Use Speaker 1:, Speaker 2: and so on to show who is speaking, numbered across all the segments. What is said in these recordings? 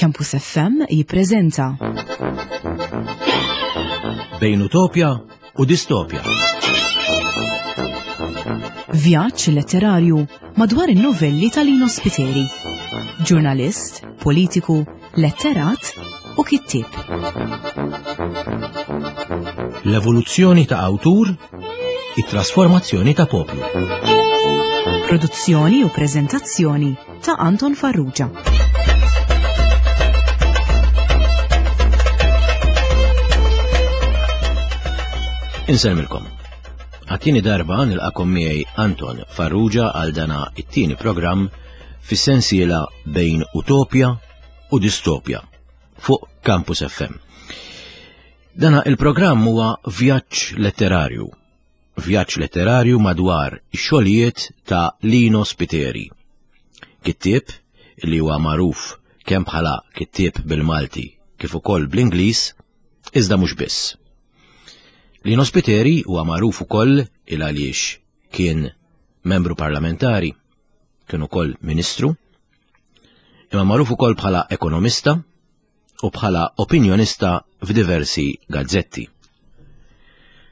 Speaker 1: Campus FM jippreżenta
Speaker 2: Bejn utopja u distopja.
Speaker 1: Vjaġġ letterarju madwar in-novelli ta' Lino Spiteri. Ġurnalist, politiku, letterat u kittieb.
Speaker 2: L-evoluzzjoni ta' awtur, it-trasformazzjoni ta' poplu.
Speaker 1: Produzzjoni u preżentazzjoni ta' Anton Farrugia.
Speaker 2: Insellmilkom. Għat-tieni darba nilqakom miegħi Anton Farrugia għal dana it-tieni programm fis-sensiela bejn Utopja u Distopja fuq Campus FM. Dana il-programm huwa vjaġġ letterarju Vjaġġ letterarju madwar ix-xogħlijiet ta' Lino Spiteri. Kittieb li huwa magħruf kemm bħala kittieb bil-Malti kif ukoll bl-Ingliż, iżda mhux biss. Lino Spiteri huwa magħruf ukoll il għaliex kien membru parlamentari, kien ukoll ministru, imma magħruf ukoll bħala ekonomista, u bħala opinjonista f'diversi gazzetti.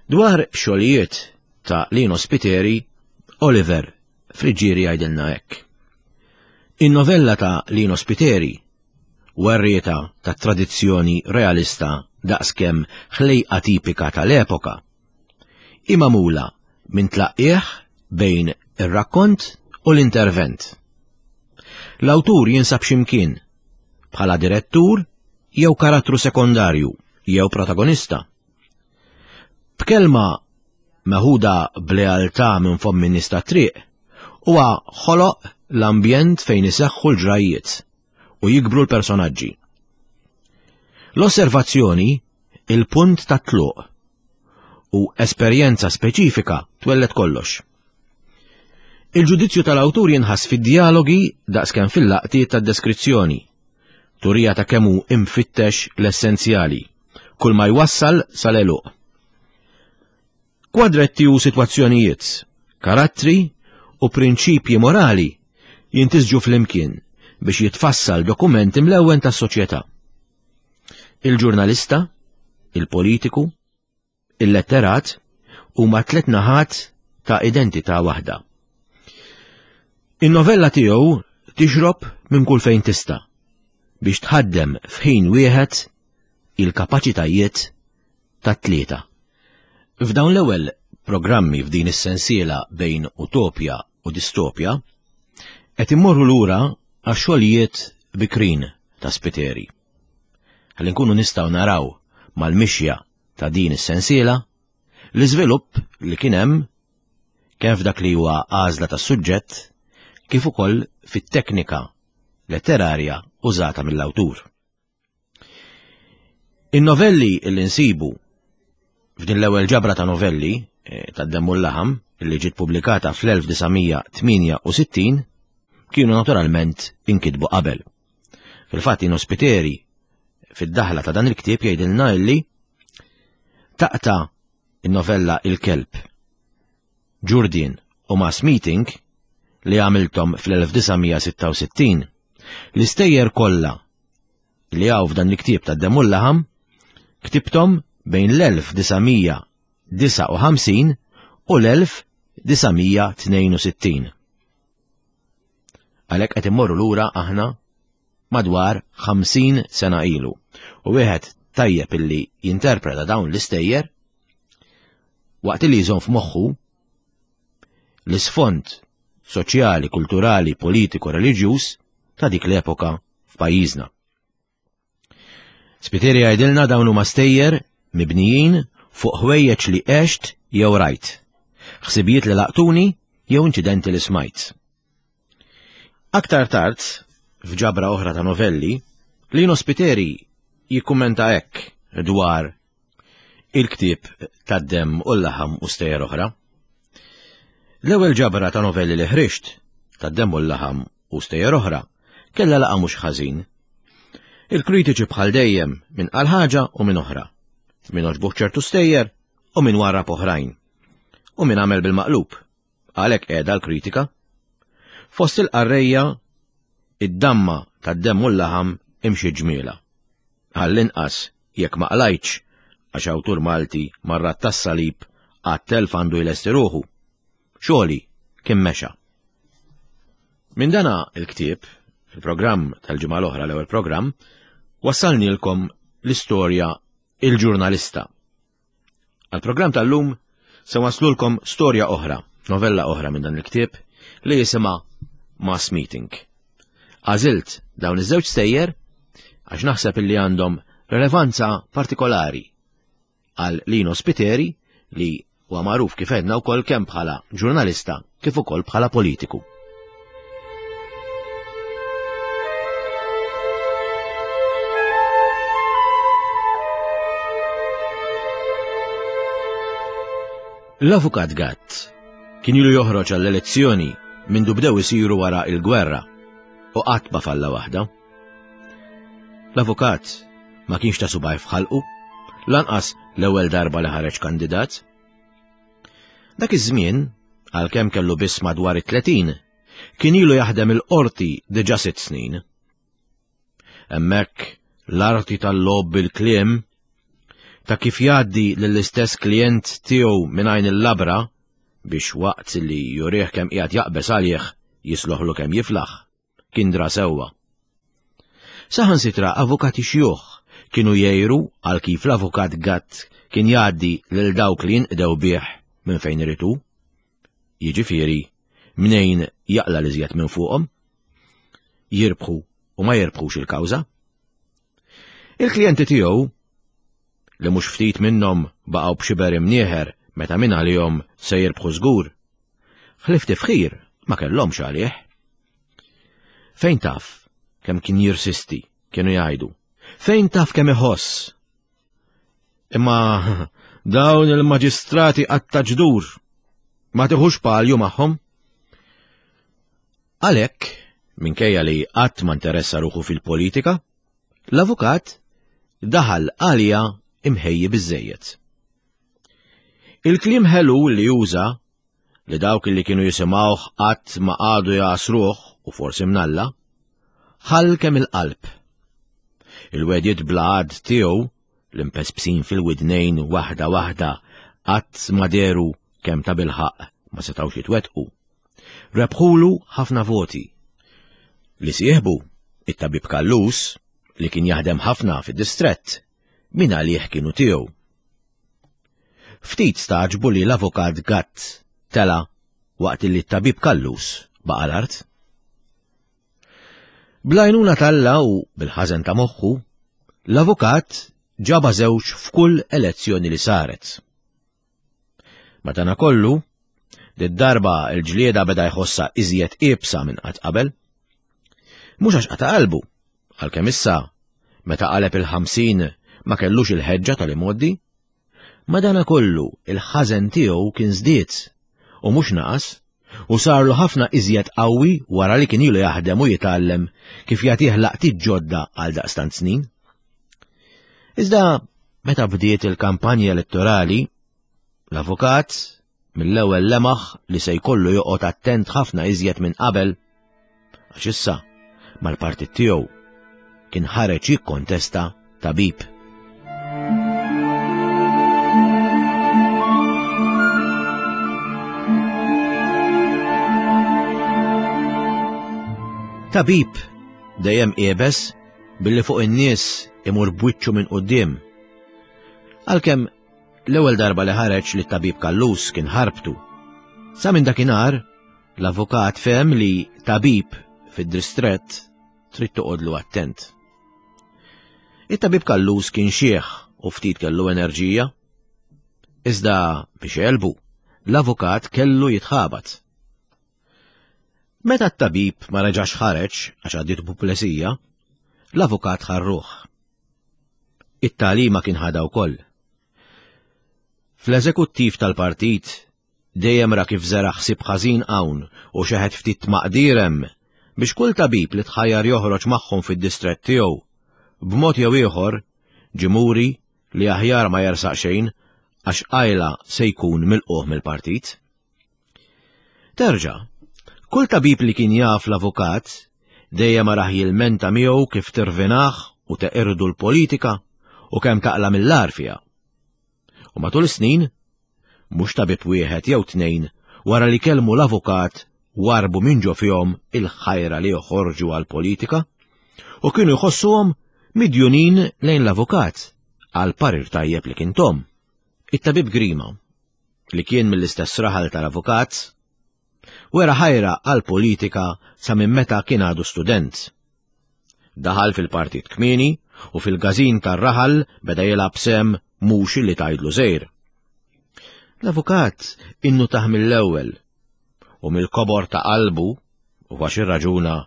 Speaker 2: Dwar xogħlijiet ta' Lino Spiteri, Oliver Friggieri jgħidilna hekk. In-novella ta' Lino Spiteri, werrieta ta' tradizzjoni realista daqskemm ħlejqa tipika tal-epoka, hi magħmula minn tlaqqigħ bejn ir-rakkont u l-intervent. L-awtur jinsab x'imkien bħala direttur jew karattru sekondarju jew protagonista. B'kelma meħuda b'lealtà minn fomm in-nies tat-triq, huwa ħoloq l-ambjent fejn iseħħu l-ġrajjiet u jikbru l-personaġġi. L-osservazzjoni il-punt tat-tluq u esperjenza speċifika twelled kollox. Il-ġudizzju tal-awtur jinħass fid-djalogi daqskemm fil-laqtiet tad-deskrizzjoni, turija ta' kemm hu imfittex l-essenzjali, kull ma jwassal sal-għeluq. Kwadretti u sitwazzjonijiet, karattri u prinċipji morali jintisġu flimkien biex jitfassal dokument imlewwen tas-soċjetà. Il-ġurnalista, il-politiku, il-letterat huma tlet naħat ta' identità waħda. In-novella tiegħu tixrob minn kull fejn tista' biex tħaddem f'ħin wieħed il-kapaċitajiet tat-tlieta. F'dawn l-ewwel programmi f'din is-sensiela bejn utopja u distopja, qed immorru lura għax-xogħlijiet bikrin ta' Spiteri. Ħalli nkunu nistgħu naraw mal-mixja ta' din is-sensiela l-iżvilupp li kien hemm kemm f'dak li huwa għażla tas-suġġett kif ukoll fit-teknika letterarja użata mill-awtur. In-novelli li nsibu f'din l-ewwel ġabra ta' novelli eh, tad-Demm u l-Laħam li ġiet pubblikata fl-1968 kienu naturalment inkitbu qabel. Fil-fatt Ino Spiteri fid-daħla ta' dan il-ktieb jgħidilna illi taqta' in-novella Il-Kelb, Ġurdien u Mass Meeting li għamilthom fl-1966, l-istejjer kollha li hawn f'dan il-ktieb ta' Demm u l-Laħam ktibthom bejn l-1959 u l-1962. Għalhekk qed immorru lura aħna madwar 50 sena ilu. U wieħed tajjeb illi jinterpreta dawn l-istejjer waqt li jżomm f'moħħu l-isfond soċjali, kulturali, politiku, reliġjuż ta' dik l-epoka f'pajjiżna. Spiteri jgħidilna dawn huma stejjer mibnijin fuq ħwejjeġ li għext jew rajt, ħsibijiet li laqtuni jew inċidenti li smajt. Aktar tard, f'ġabra oħra ta' novelli, Lino Spiteri jikkummenta hekk dwar il-ktieb tad-demm u l-laħam u stejjer oħra. L-ewwel ġabra ta' novelli li ħriġt, tad-demm u l-laħam u stejjer oħra, kellha laqa mhux ħażin. Il-kritiċi bħal dejjem min qal ħaġa u min oħra. Min għoġbuh ċertu stejjer u min warrab oħrajn. U min għamel bil-maqlub. Għalhekk qiegħda l-kritika. Fost il-qarrejja, id-damma tad-demm u l-laħam imxiet ġmielha. Għall-inqas jekk ma qlajtx għax awtur Malti marrat tas-salib għat-telf għandu jlesti ruħu. Xogħli kien mexa. Minn dana il-ktieb, fil-programm tal-ġimgħa l-oħra l-ewwel programm, wassalnielkom l-istorja Il-Ġurnalista. Għall-programm tal-lum se waslulkom storja oħra, novella oħra minn dan il-ktieb li jisimha Mass Meeting. Għażilt dawn iż-żewġ stejjer għax naħseb illi għandhom relevanza partikolari għal Lino Spiteri li huwa magħruf kif għedna wkoll kemm bħala ġurnalista kif ukoll bħala politiku. L-Avukat Gatt kien ilu joħroġ għall-elezzjoni mindu bdew isiru wara il-gwerra u qatt ma falla waħda. L-avukat ma kienx ta' subaj f'ħalqu, lanqas l-ewwel darba li ħareġ kandidat. Dak iż-żmien, għalkemm kellu biss madwar it-30, kien ilu jaħdem il-qorti diġà sitt snin. Hemmhekk l-arti tal-logħob bil-kliem ta' kif jgħaddi lill-istess klient tiegħu minn għajn il-labra biex waqt li jurih kemm qiegħed jaqbeż għalih jisloħlu kemm jiflaħ. kien dra sewwa. Saħansitra avukati xjuħ kienu jgħiru għal kif l-avukat Gatt kien jgħaddi lil dawk li jinqdew bih minn fejn irid hu. Jiġifieri, mnejn jaqla' l-iżjed minn fuqhom. Jirbħu u ma jirbħux il-kawża. Il-klijenti tiegħu, li mhux ftit minnhom baqgħu b'xiber imnieħer meta minn għalihom se jirbħu żgur, ħlief tifħir ma kellhomx għalih. Fejn taf kemm kien jirsisti, kienu jgħidu. Fejn taf kemm iħoss? Imma dawn il-maġistrati qatta ġdur ma tiħux palju magħhom. Għalhekk, minkejja li qatt ma interessa ruħu fil-politika, l-avukat daħal għalija imħejji biżejjed. Il-kliem ħelu li juża li dawk li kienu jisimgħuh qatt ma qagħdu jagħsruh u forsi mnalla, ħall kemm il-qalb. Il-wegħdiet bla għadd tiegħu l-impespsin fil-widnejn waħda waħda qatt ma dehru kemm ta' bilħaqq ma setgħux jitwettqu. Rebħulu ħafna voti. Li sieħbu, it-tabib Callus, li kien jaħdem ħafna fid-distrett, min għalih kienu tiegħu. Ftit stagħġbu li l-Avukat Gatt tela' waqt li t-Tabib Callus baqa' l-art. Bl-għajnuna t'Alla u bil-ħażen ta' moħħu, l-Avukat ġabha żewġ f'kull elezzjoni li saret. Madanakollu, did-darba l-ġlieda beda jħossha iżjed iebsa minn qatt qabel. Mhux għax qata' qalbu, għalkemm issa, meta qaleb il-50 ma kellux il-ħeġġa tal-imgħoddi. Madanakollu il-ħażen tiegħu kien żdied u mhux naqas u sarlu ħafna iżjed qawwi wara li kien ilu jaħdem u jitgħallem kif jagħtih laqtiet ġodda għal daqstant snin. Iżda meta bdiet il-kampanja elettorali, l-avukat mill-ewwel lemaħ li se jkollu joqgħod attent ħafna iżjed minn qabel għax issa mal-partit tiegħu kien ħareġ jikkontesta tabib. Tabib dejjem qiebes billi fuq in-nies imur b'wiċċu minn quddiem. Għalkemm L-ewwel darba li ħareġ li t-tabib Callus kien ħarbtu. Sa minn dakinhar, l-avukat fehem li tabib fid-distrett trid toqgħodlu attent. It-tabib Callus kien xiħ u ftit kellu enerġija. Iżda biex jegħlbu, l-avukat kellu jitħabat. Meta t-tabib ma reġax ħareġ għax għaddiet puplesija, l-avukat ħarruh. It-tagħlima kien ħadha wkoll. Fl-eżekuttiv tal-partit dejjem ra kif żera' ħsieb ħażin hawn u xeħet ftit tmaqdir hemm biex kull tabib li tħajjar joħroġ magħhom fid-distrett tiegħu, b'mod jew ieħor ġie muri li aħjar ma jersaq xejn għax qajla se jkun milqugħ mill-partit. Terġa', kull tabib li kien jaf l-avukat. Dejjem arah jilmenta miegħu kif tirvinah u teqirdu l-politika u kemm taqla' mill-agħar fiha. U matul is-snin, mhux tabib wieħed jew tnejn wara li kellmu l-avukat warbu minn ġo fihom il-ħajra li joħorġu għall-politika u kienu jħossuhom midjunin lejn l-avukat għal parir tajjeb li kien tom. It-tabib Grima, li kien mill-istess raħal tal-avukat, wera ħajra għall-politika sa minn meta kien għadu student. Daħal fil-partit kmieni u fil-każin tar-raħal beda jilgħab sehem mhux li tgħidlu żgħir. L-avukat innutah mill-ewwel u mill-kobor ta' qalbu u għax irraġuna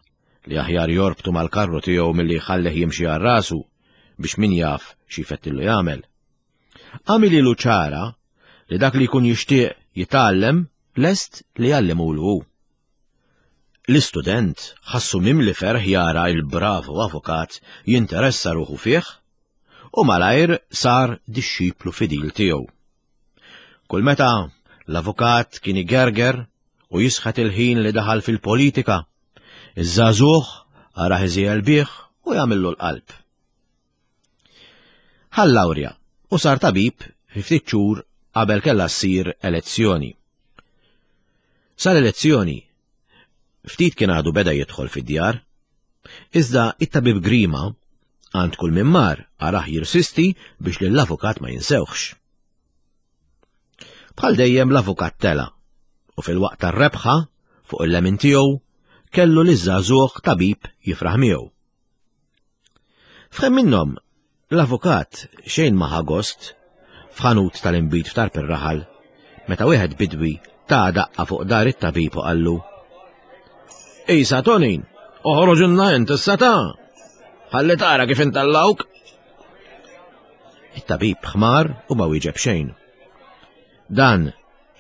Speaker 2: li aħjar jorbtu mal-karru tiegħu milli jħallih jimxi għal rasu biex min jaf xi jfettillu jagħmel. Għamililu ċara li dak li jkun jixtieq jitgħallem lest li jgħallimulu hu. L-istudent ħassu mimli ferħ jara il-bravu avukat jinteressa ruħu fih u malajr sar dixxiplu fidil tiegħu. Kull meta l-avukat kien igerger u jisħet il-ħin li daħal fil-politika, iż-żagħżugħ arah iżiegħel bih u jagħmillu l-qalb. Ħa l-lawrja u sar tabib fi ftit xhur qabel kellha ssir elezzjoni. Sal-elezzjoni, ftit kien għadu beda jidħol fid-djar, iżda it-tabib Grima għand kull min mar arah jirsisti biex lill-avukat ma jinsewħx. Bħal dejjem l-avukat tela' u fil-waqt tar-rebħa fuq il-lemin tiegħu kellu liż-żagħżugħ tabib jifraħ miegħu. F'ħin minnhom, l-avukat xejn ma ħa gost f'ħanut tal-inbid f'tarf ir-raħal meta wieħed bidwi ta daqqa fuq dar it-tabib u qallu Isa Tonin, oħroġilna int issa ta' ħalli tara kif intallawk. It-tabib ħmar u ma wieġeb xejn. Dan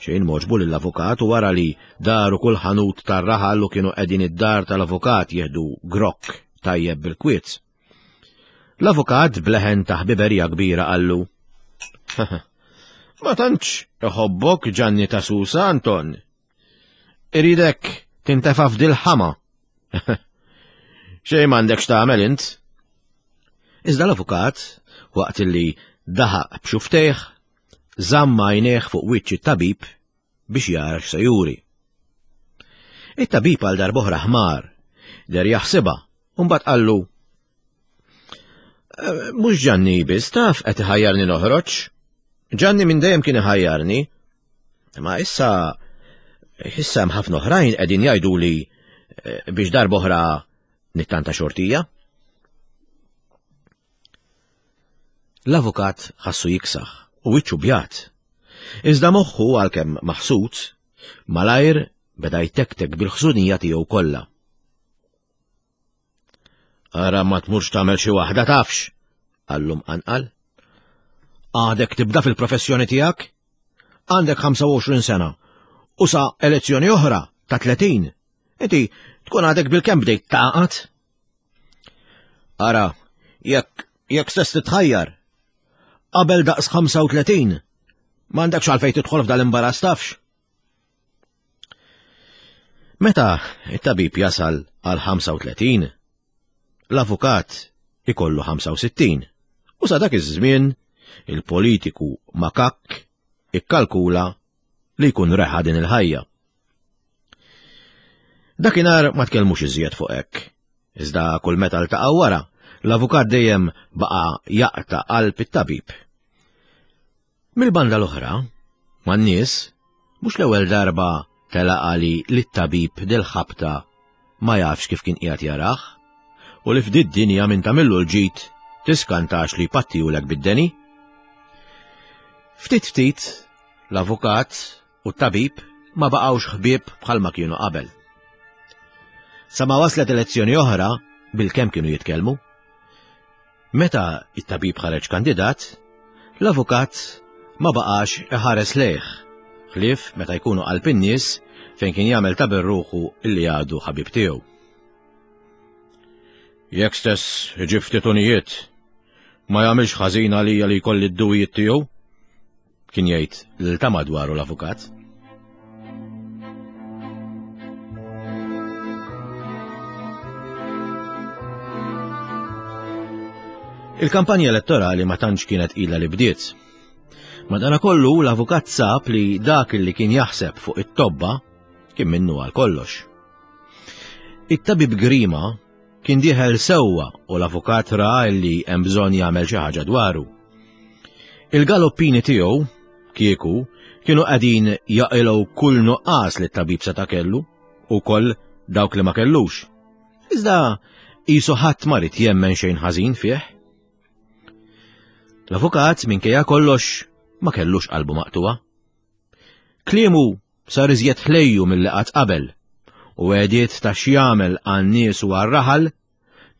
Speaker 2: xejn m'għoġbu lill-avukat u wara li daru kull ħanut tar-raħal u kienu qegħdin id-dar tal-avukat jieħdu grokk tajjeb bil-kwiet. L-avukat b'leħen ta' ħbiberija kbira qallu, Ma tantx iħobbok Ġanni ta' Susa, Anton. Iridek tintefa' f'dil-ħama. Xejn m'għandek x'tagħmel int. Iżda l-avukat, waqt li daħaq b'xuftejh, żamm għajnejh fuq wiċċ it-tabib biex jara x'se juri. It-tabib għal darb'oħra ħmar, der jaħsibha, u mbagħad qallu, eh, Mhux Ġanni biss taf qed iħajjarni noħroġ. Ġanni minn dejjem kien iħajjarni. Ma issa issa hemm ħafna oħrajn qegħdin jgħiduli eh, biex darb'oħra nittanta xortija. L-avukat ħassu jiksaħ u wiċċu bjad. Iżda moħħu għalkemm maħsud, malajr beda jtektek bil-ħżunija tiegħu kollha. Ara ma tmurx tagħmel xi waħda tafx, qallu mqanqal. Għadek tibda fil-professjoni tiegħek? Għandek 25 sena u sa elezzjoni oħra ta' 30. Inti tkun għadek bil-kemm bdejt taqgħad. Ara, jekk jekk stess titħajjar, qabel daqs 35, m'għandekx għalfejn tidħol f'dal-imbarazz tafx. Meta it-tabib jasal għal 35, l-avukat ikollu 65 u sa dak iż-żmien il-politiku makakk ikkalkula li jkun reħa din il-ħajja. Dakinhar ma tkellmux iżjed fuq hekk. Iżda kull meta ltaqgħu wara, l-avukat dejjem baqa' jaqta' qalb it-tabib. Mill-banda l-oħra, man-nies, mhux l-ewwel darba telaq għali li t-tabib dil-ħabta ma jafx kif kien qiegħed jarah, u li f'did-dinja min tagħmillu l-ġid tiskantax li jpattihulek bid-deni. Ftit ftit, l-avukat u t-tabib ma baqgħux ħbieb bħalma kienu qabel. Sa ma waslet elezzjoni oħra, bilkemm kienu jitkellmu. Meta it-tabib ħareġ kandidat, l-avukat ma baqax iħares lejh, ħlief meta jkunu qalb in-nies fejn kien jagħmel ta' ruħu li għadu ħabib tiegħu. Jekk stess iġib ftit unijiet, ma jagħmilx ħażin għalija li jkolli d-duwijiet tiegħu, kien jgħid lil ta' madwaru l-avukat. Il-kampanja elettorali ma tantx kienet ilha li bdiet. Madanakollu l-avukat sab li dak li kien jaħseb fuq it-tobba kien minnu għal kollox. It-tabib Grima kien dieħel sewwa u l-avukat ra li hemm bżonn jagħmel xi ħaġa dwaru. Il-galoppini tiegħu, kieku, kienu qegħdin jaqilgħu kull nuqqas li t-tabib seta' kellu u koll dawk li ma kellux. Iżda qisu ħadd ma rid jemmen xejn ħażin fih. L-avukat minkejja kollox ma kellux qalbu maqtuwa. Kliemu sar iżjed ħlejju milli qatt qabel u għediet ta' x'jagħmel għan-nies u għar-raħal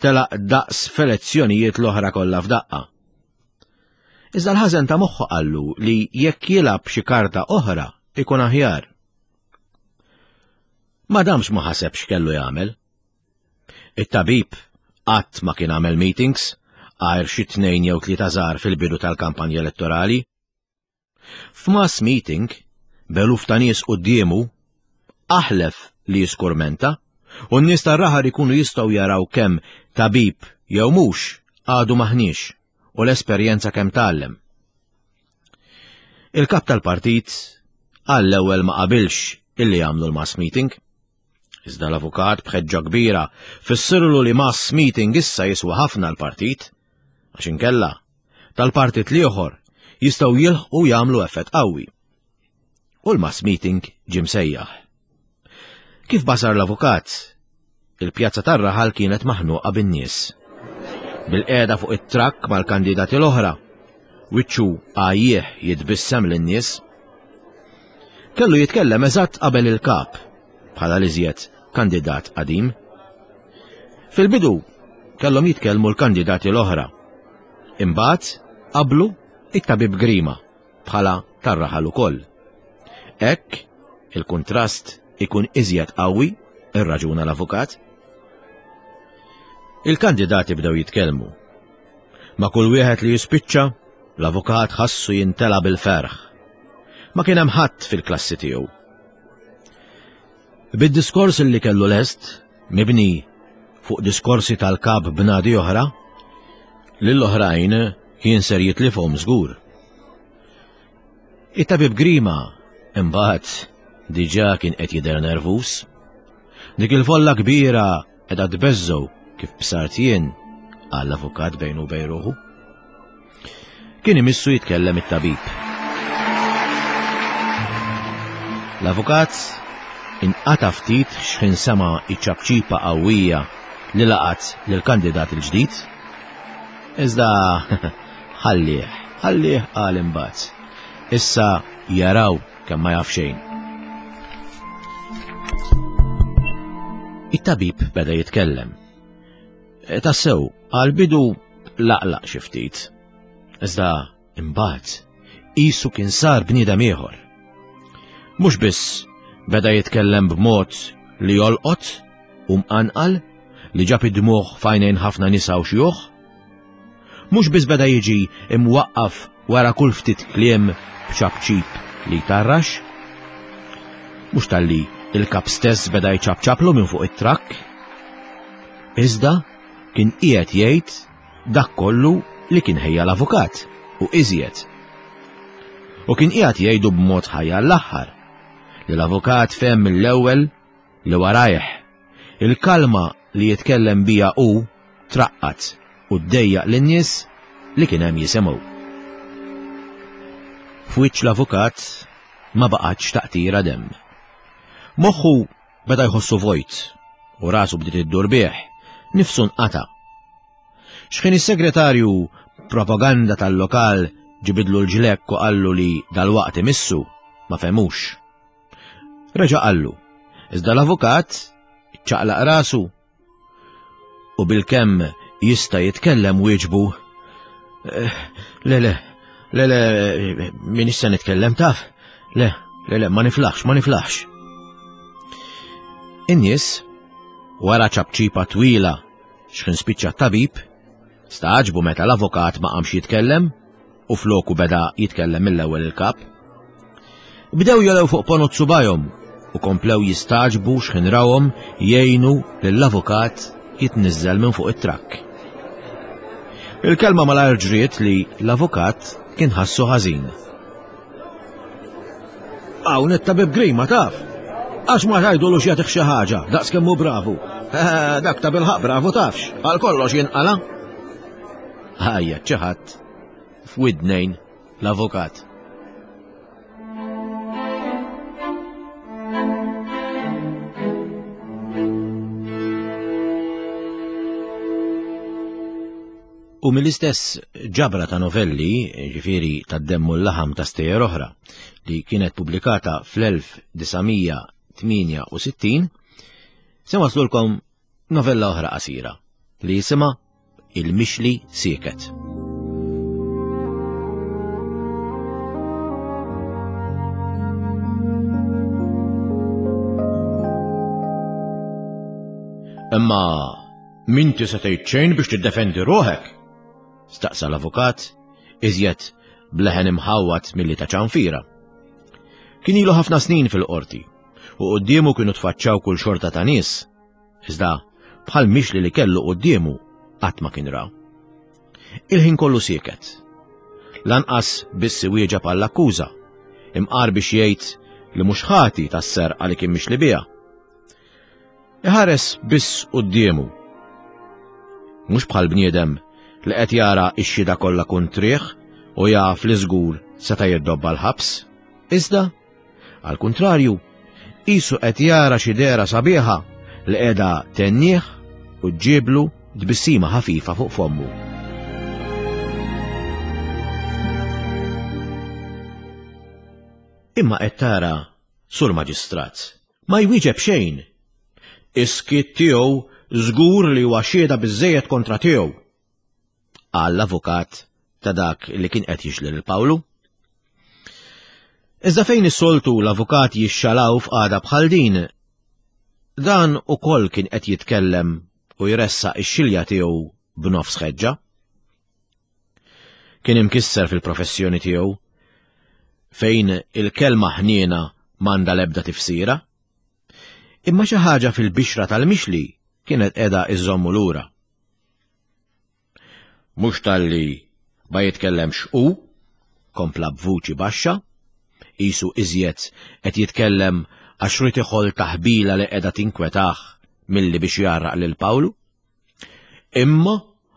Speaker 2: telaq daqs f'elezzjonijiet l-oħra kollha f'daqqa. Iżda l-ħażen ta' moħħu qallu li jekk jilgħab xi karta oħra ikun aħjar. Ma damx ma ħaseb x'kellu jagħmel. It-tabib qatt ma kien għamel meetings għajr xi tnejn jew tlieta żgħar fil-bidu tal-kampanja elettorali. F'mass meeting, b'eluf ta' nies quddiemu, aħlef li jiskurmenta u n-nies tar-raħal ikunu jistgħu jaraw kemm tabib jew mhux għadu m'aħniex u l-esperjenza kemm tgħallem. Il-kap tal-partit għall-ewwel ma qabilx illi jagħmlu l-mass meeting. Iżda l-avukat b'ħeġġa kbira fissirlu li mass meeting issa jiswa ħafna l-partit, għax inkella tal-partit l-ieħor jistgħu jilħqu jagħmlu effett qawwi. U l-mass meeting ġie msejjaħ. Kif basar l-avukat, il-pjazza tar-raħal kienet maħnuqa bin-nies. Bil-qiegħda fuq it-trakk mal-kandidati l-oħra, wiċċu għajjieħ jitbissem lin-nies. Kellu jitkellem eżatt qabel il-kap, bħala l-iżjed kandidat qadim. Fil-bidu kellhom jitkellmu l-kandidati l-oħra. Imbagħad qablu it-tabib Grima bħala tar-raħal ukoll. Hekk il-kuntrast ikun iżjed qawwi, irraġuna l-avukat. Il-kandidati bdew jitkellmu. Ma' kull wieħed li jispiċċa, l-avukat ħassu jintela bil-ferħ. Ma kien hemm ħadd fil-klassi tiegħu. Bid-diskors li kellu lest, mibni fuq diskorsi tal-kap b'nadi oħra, lill-oħrajn kien ser jitlifhom żgur. It-tabib Grima imbagħad diġà kien qed jidher nervuż. Dik il-folla kbira qiegħda tbeżżgħu kif bsart jien, qal l-avukat bejnu u bejn ruħu. Kien imissu jitkellem it-tabib. L-avukat inqata' ftit x'ħin sema' iċ-ċapċipa qawwija li laqat lill-kandidat il-ġdid. Iżda ħallih, ħallih qal imbagħad. Issa jaraw kemm ma jaf xejn. It-tabib beda jitkellem. E, tassew, għal-bidu laqlaq xi ftit. Iżda imbagħad qisu kien sar bniedem ieħor. Mhux biss beda jitkellem b'mod li jolqot u mqanqal li ġab id-dmugħ f'għajnejn ħafna nisa u xjuħ. Mhux biss beda jiġi imwaqqaf wara kull ftit kliem b'ċapċip li jtarrax. Mhux talli il-kap stess beda jċapċaplu minn fuq it-trakk. Iżda kien qiegħed jgħid dak kollu li kien ħejja l-avukat u iżjed. U kien qiegħed jgħidu b'mod ħaj għall-aħħar li l-avukat fehem mill-ewwel li warajh il-kalma li jitkellem bija hu traqqat u ddejjaq lin-nies li kien hemm jisimgħu. F'wiċċ l-avukat ma baqgħetx taqtira demm. Moħħu Beda jħossu vojt u rasu bdiet iddur bih, nifsu nqata'. X'ħin is-segretarju propaganda tal-lokal ġibidlu l-ġlekk u qallu li dalwaqt imissu, ma fehmux. Reġa' qallu, iżda l-avukat ċaqlaq rasu U bilkemm jista' jitkellem wieġbu, eh, Le, le, le, le, min issa nitkellem taf? Le, le, le, ma niflaħx, ma niflaħx. In-nies, wara ċapċipa twila x'ħin spiċċa t-tabib, Stagħġbu meta l-avukat ma qamx jitkellem u floku beda jitkellem mill-ewwel il-kap. Bdew jolew fuq ponot subajhom u komplew jistagħġbu x'ħin rawhom jgħinu lill-avukat jitniżżel minn fuq it-trakk. Il-kelma malajr ġriet li l-avukat kien ħassu ħażin. Hawn it-tabib Grima taf. Għax ma tgħidulux jagħtih xi ħaġa, daqs kemm hu bravu. Eh, dak ta' bilħaq bravu tafx, għal kollox jinqala. Ħajja xi ħadd f'widnejn l-avukat. U mill-istess ġabra ta' novelli, ġifieri tad-demm u l-laħam ta' stejjer oħra, li kienet pubblikata fl-1968, se waslulkom novella oħra qasira li jisimha Il-Mixli Sieket. Imma M'inti se tgħid xejn biex tiddefendi ruħek? Staqsa l-avukat, iżjed bleħen imħawwad milli ta' ċanfira. Kien ilu ħafna snin fil-qorti u quddiemu kienu tfaċċaw kull xorta ta' nies, iżda bħal mixli li kellu quddiemu qatt ma kien ra. Il-ħin kollu sieket. Lanqas biss iwieġeb għall-akkuża, imqar biex jgħid li mhux ħati tas-serqa li kien mixli biha. Iħares biss quddiemu. Mhux bħal bniedem li qed jara x-xhieda kollha kontrih u jaf li żgur seta' jiddobba l-ħabs. Iżda, għal kuntrarju, qisu qed jara xi dehra sabiħa li qiegħda tennih u ġġiblu tbissima ħafifa fuq fommu. Imma qed tara, Sur Maġistrat, Ma jwieġeb xejn. Is-skiet tiegħu żgur li huwa xhieda biżżejjed kontra tiegħu. Qal l-avukat ta' dak li kien qed jixli lil Pawlu. Iżda fejn is-soltu l-avukat jixxalaw f'qagħda bħal din, dan ukoll kien qed jitkellem u jressaq ix-xilja tiegħu b'nofs ħeġġa. Kien imkisser fil-professjoni tiegħu, fejn il-kelma ħniena m'għandha l-ebda tifsira. Imma xi ħaġa fil-bixra tal-mixli kienet qiegħda iżommu lura. Mhux talli ma jitkellemx hu, kompla b'vuċi baxxa, qisu iżjed qed jitkellem għax ried iħoll taħbila li qiegħda tinkwetah milli biex jgħarraq lil Pawlu. Imma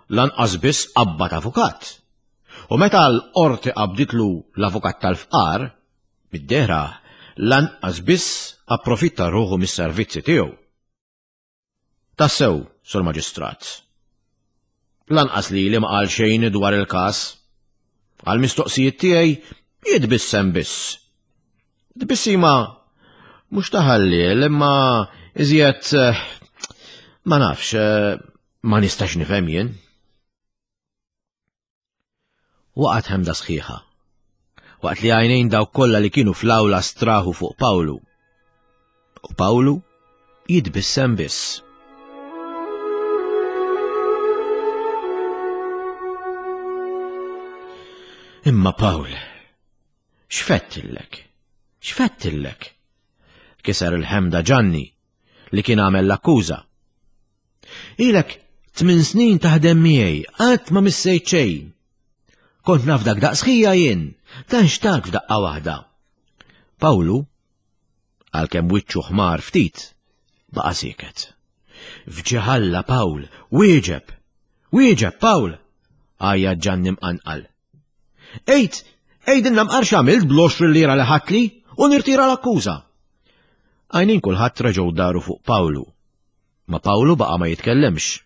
Speaker 2: lanqas biss qabbad avukat. U meta l-qorti qabditlu l-avukat tal-fqar, mid-dehra lanqas biss approfitta ruħu mis-servizzi tiegħu. Tassew, Sur Maġistrat. Lanqas lili ma qal xejn dwar il-każ. Għall-mistoqsijiet tiegħi jitbissem biss. Tbissima mhux ta' ħalliel imma iżjed eh, ma nafx, eh, ma nistax nifhem jien. Waqgħet ħemda sħiħa. Waqt li għajnejn dawk kollha li kienu fl-awla straħu fuq Pawlu. U Pawlu jitbissem biss. Imma Pawl, X'fettillek? X'fettillek? Kiser il-ħemda Ġanni li kien għamel l-akkuża. Ilek tmin snin taħdem miegħi, qatt ma missejt xejn. Kont naf dak daqsħija jien, dan xtak f'daqqa waħda. Pawlu, għalkemm wiċċu ħmar ftit, baqa' sieket. Fġiħalla Pawl, wieġeb! Wieġeb, Pawl! Għajja Ġanni mqanqal. Għid, għidilna mqar x'għamilt bl-20 lira li ħadtli u nirtira l-akkuża. Għajnejn kulħadd reġgħu daru fuq Pawlu. Ma Pawlu baqa' ma jitkellimx.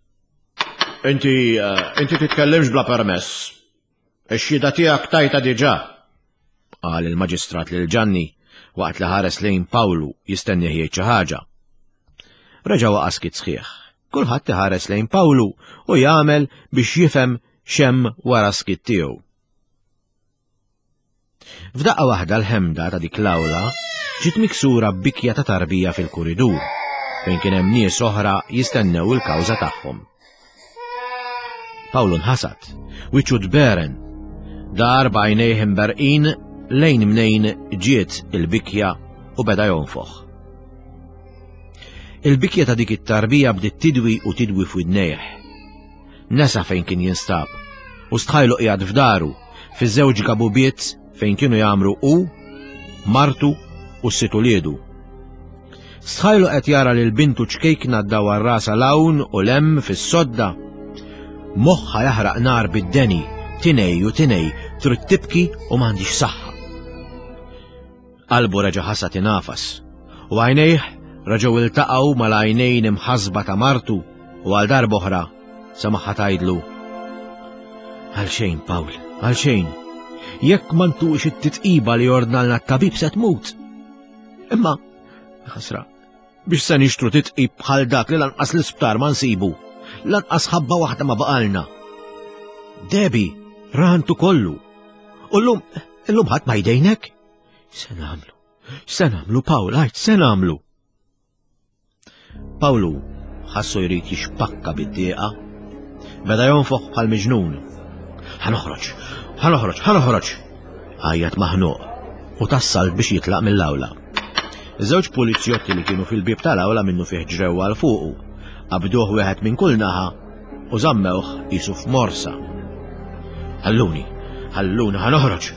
Speaker 2: Inti, eh, inti titkellimx bla permess. Ix-xhieda tiegħek tajta diġà, qal il-maġistrat lil Ġanni waqt li ħares lejn Pawlu jistennih jgħid xi ħaġa. Reġa' waqa' skiet sħiħ. Kulħadd iħares lejn Pawlu u jagħmel biex jifhem x'hemm wara s-skiet tiegħu. F'daqqa waħda l-ħemda ta' dik l-awla ġiet miksura b'bikja ta' tarbija fil-kuridur fejn kien hemm nies oħra jistennew il-kawża tagħhom. Pawlu nħasad, wiċċu tberen, dar b'għajnejh imberqin lejn mnejn ġiet il-bikja u beda jonfoħ. Il-bikja ta' dik it-tarbija bdiet tidwi u tidwi f'widnejh. Nesa fejn kien jinstab. U stħajlu qiegħed f'daru, fiż-żewġ gabubiet fejn kienu jagħmru hu, martu u s-sitt uliedu. Stħajlu qed jara lil bintu ċkejkna ddawwar rasha 'l hawn u 'l hemm fis-sodda. Moħħha jaħraq nar bid-deni, tinej u tinej, trid tibki u m'għandhiex saħħa. Qalbu reġa' ħasha tingħafas, u għajnejh reġgħu iltaqgħu mal-għajnejn imħassba ta' martu u għal darb'oħra semagħha tgħidlu, Għalxejn, Pawl, għalxejn. Jekk ma ntuqx it-titqiba li ordnalna t-tabib se tmut. Imma, ħasra, biex se nixtru titqib bħal dak li lanqas l-isptar ma nsibu, lanqas ħabba waħda ma baqalna. Debi, rantu kollu. U llum, illum ħadd ma jdejnek? Se nagħmlu? Se nagħmlu, Pawl, għajt, se nagħmlu? Pawlu ħassu jrid jixpakka bid-dieqa. Beda jonfoħ bħal miġnun. Ħa noħroġ, ħa noħroġ, ħa noħroġ! Għajjat maħnuq u tassal biex jitlaq mill-awla. Żewġ pulizjotti li kienu fil-bieb tal-awla minnu fih ġrew għal fuqu, qabduh wieħed minn kull naħa u żammewh qisu f'morsa. Ħalluni, ħalluni ħa noħroġ!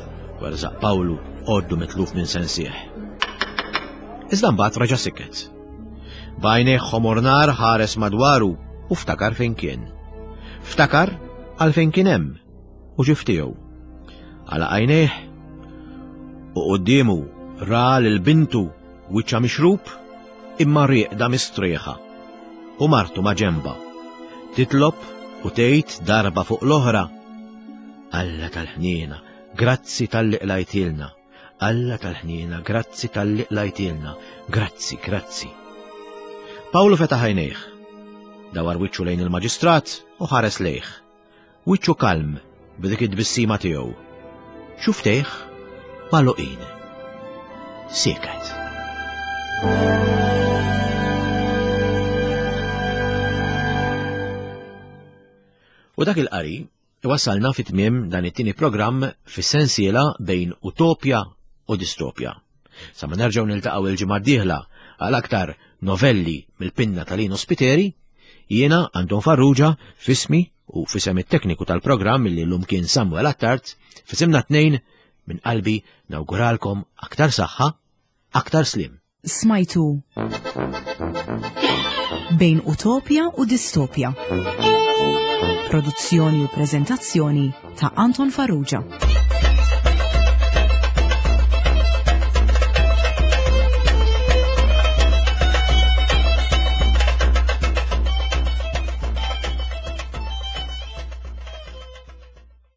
Speaker 2: Werżaq Pawlu għoddu mitluf minn sensih. Iżda mbagħad reġa' siket. B'għajnejh ħomor nar ħares madwaru u ftakar fejn kien. Ftakar għalfejn kien hemm u ġie f'tiegħu. Għalaq għajnejh u quddiemu ra lil bintu wiċċha mixrub imma rieqda mistrieħa u martu ma' ġenbha. Titlob u tgħid darba fuq l-oħra, Alla tal-ħniena, grazzi talli qlajtilna. Alla tal-ħniena, grazzi talli qlajtilna, grazzi, grazzi. Pawlu fetaħ għajnejh. Dawar wiċċu lejn il-maġistrat u ħares lejh. Wiċċu kalm b'dik it-tbissima tiegħu. Xuftejh magħluqin. Sieket. U dak il-qari Iwassalna fi tmiem dan it-tieni programm fis-sensiela bejn utopja u distopja. Sa ma nerġgħu niltaqgħu il-ġimgħa d-dieħla għal aktar novelli mill-pinna ta' Lino Spiteri, jiena Anton Farrugia f'ismi u f'isem it-tekniku tal-programm li llum kien Samuel Attard, f'isimna tnejn minn qalbi nawguralkom aktar saħħa, aktar sliem.
Speaker 1: Smajtu Bejn Utopja u Distopja. Produzzjoni u preżentazzjoni ta' Anton Farrugia.